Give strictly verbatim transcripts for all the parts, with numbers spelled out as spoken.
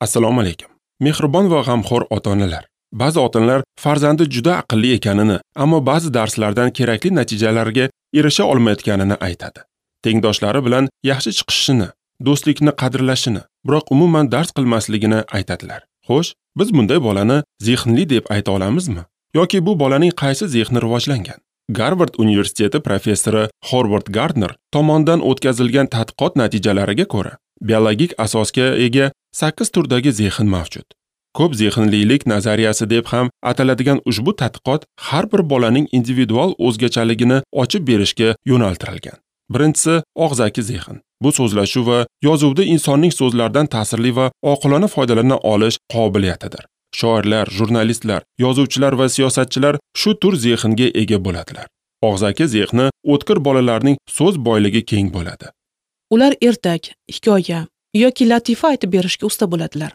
Assalomu alaykum. Mehribon va g'amxo'r ota-onalar. Ba'zi ota-onalar farzandi juda aqlli ekanini, ammo ba'zi darslardan kerakli natijalarga erisha olmayotganini aytadi. Tengdoshlari bilan yaxshi chiqishini, do'stlikni qadrlashini, biroq umuman dars qilmasligini aytadilar. Xo'sh, biz bunday bolani zehnli deb ayta olamizmi? Yoki bu bolaning qaysi zehni rivojlangan? Garvard universiteti professori Howard Gardner tomonidan o'tkazilgan tadqiqot natijalariga ko'ra, biologik asosga ega sakkiz turdagi zehn mavjud. Ko'p zehnlilik nazariyasi deb ham ataladigan ushbu tadqiqot har bir bolaning individual o'zgachaligini ochib berishga yo'naltirilgan. Birinchisi og'zaki zehn. Bu so'zlashuv va yozuvda insonning so'zlardan ta'sirli va oqilona foydalana olish qobiliyatidir. Shoirlar, jurnalistlar, yozuvchilar va siyosatchilar shu tur zehnga ega bo'ladilar. Og'zaki zehni o'tkir bolalarning so'z boyligi keng bo'ladi. Ular ertak, hikoya yoki latifa aytib berishga usta bo'ladilar.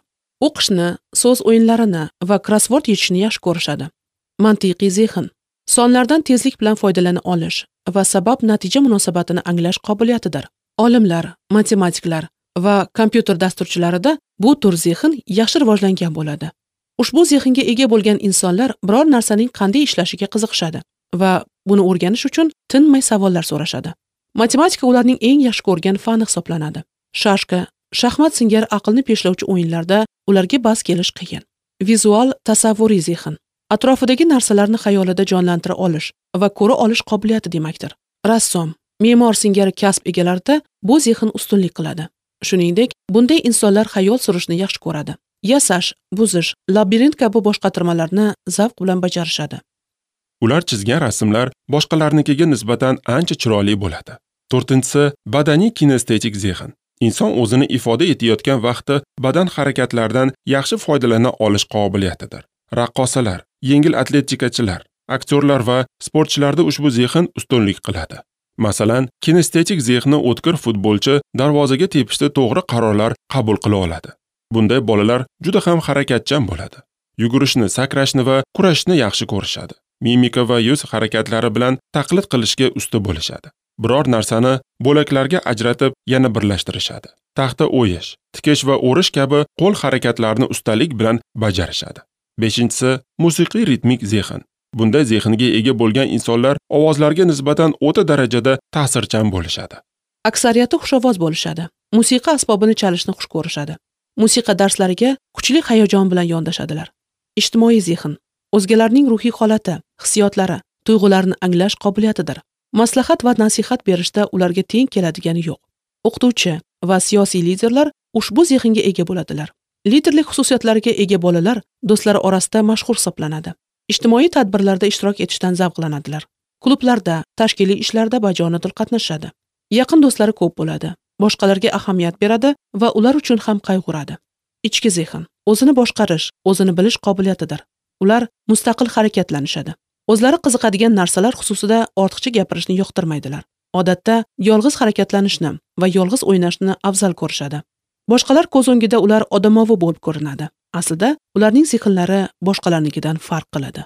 O'qishni, so'z o'yinlarini va krossvord yechishni yaxshi ko'rishadi. Mantiqiy zehn, sonlardan tezlik bilan foydalana olish va sabab-natija munosabatini anglash qobiliyatidir. Olimlar, matematiklar va kompyuter dasturchilarida bu tur zehn yaxshi rivojlangan bo'ladi. Ushbu zehnga ega bo'lgan insonlar biror narsaning qanday ishlashiga qiziqishadi va buni o'rganish uchun tinmay savollar so'rashadi. Matematika ularning eng yaxshi ko'rgan fani hisoblanadi. Shashka, shaxmat singari aqlni peshlovchi o'yinlarda ularga bas kelish qiyin. Vizual tasavvuriy zehn, atrofidagi narsalarni xayolida jonlantira olish va ko'ra olish qobiliyati demakdir. Rassom, me'mor singari kasb egalarida bu zehn ustunlik qiladi. Shuningdek, bunday insonlar xayol surishni yaxshi ko'radi. Yasash, buzish, labirint kabi boshqatirmalarni zavq bilan bajarishadi. Ular chizgan rasmlar boshqalarnikiga nisbatan ancha chiroyli bo'ladi. To'rtinchisi, badaniy kinestetik zehn. Inson o'zini ifoda etayotgan vaqtda badan harakatlaridan yaxshi foydalana olish qobiliyatidir. Raqqosalar, yengil atletikachilar, aktyorlar va sportchilarda ushbu zehn ustunlik qiladi. Masalan, kinestetik zehni o'tkir futbolchi darvozaga tepishda to'g'ri qarorlar qabul qila oladi. Bunday bolalar juda ham harakatchan bo'ladi. Yugurishni, sakrashni va kurashni yaxshi ko'rishadi. Mimika va yuz harakatlari bilan taqlid qilishga usta bo'lishadi. Biror narsani bo'laklarga ajratib yana birlashtirishadi. Taxta o'yish, tikish va o'rish kabi qo'l harakatlarini ustalik bilan bajarishadi. Beshinchisi, musiqiy ritmik zehn. Bunday zehnga ega bo'lgan insonlar ovozlarga nisbatan o'ta darajada ta'sirchan bo'lishadi. Aksariyati xushovoz bo'lishadi. Musiqa asbobini chalishni xush ko'rishadi. Musiqa darslariga kuchli hayajon bilan yondashadilar. Ijtimoiy zehn, o'zgalarning ruhiy holati, hissiyotlari, tuyg'ularini anglash qobiliyatidir. Maslahat va nasihat berishda ularga teng keladigani yo'q. O'qituvchi va siyosiy liderlar ushbu zehnga ega bo'ladilar. Liderlik xususiyatlariga ega bolalar do'stlari orasida mashhur hisoblanadi. Ijtimoiy tadbirlarda ishtirok etishdan zavqlanadilar. Klublarda, tashkiliy ishlarda bajonidil qatnashadi. Yaqin do'stlari ko'p bo'ladi. Boshqalarga ahamiyat beradi va ular uchun ham qayg'uradi. Ichki zehn, o'zini boshqarish, o'zini bilish qobiliyatidir. Ular mustaqil harakatlanishadi. O'zlari qiziqadigan narsalar xususida ortiqcha gapirishni yoqtirmaydilar. Odatda yolg'iz harakatlanishni va yolg'iz o'ynashni afzal ko'rishadi. Boshqalar ko'z o'ngida ular odamovi bo'lib ko'rinadi. Aslida ularning zehnlari boshqalarnikidan farq qiladi.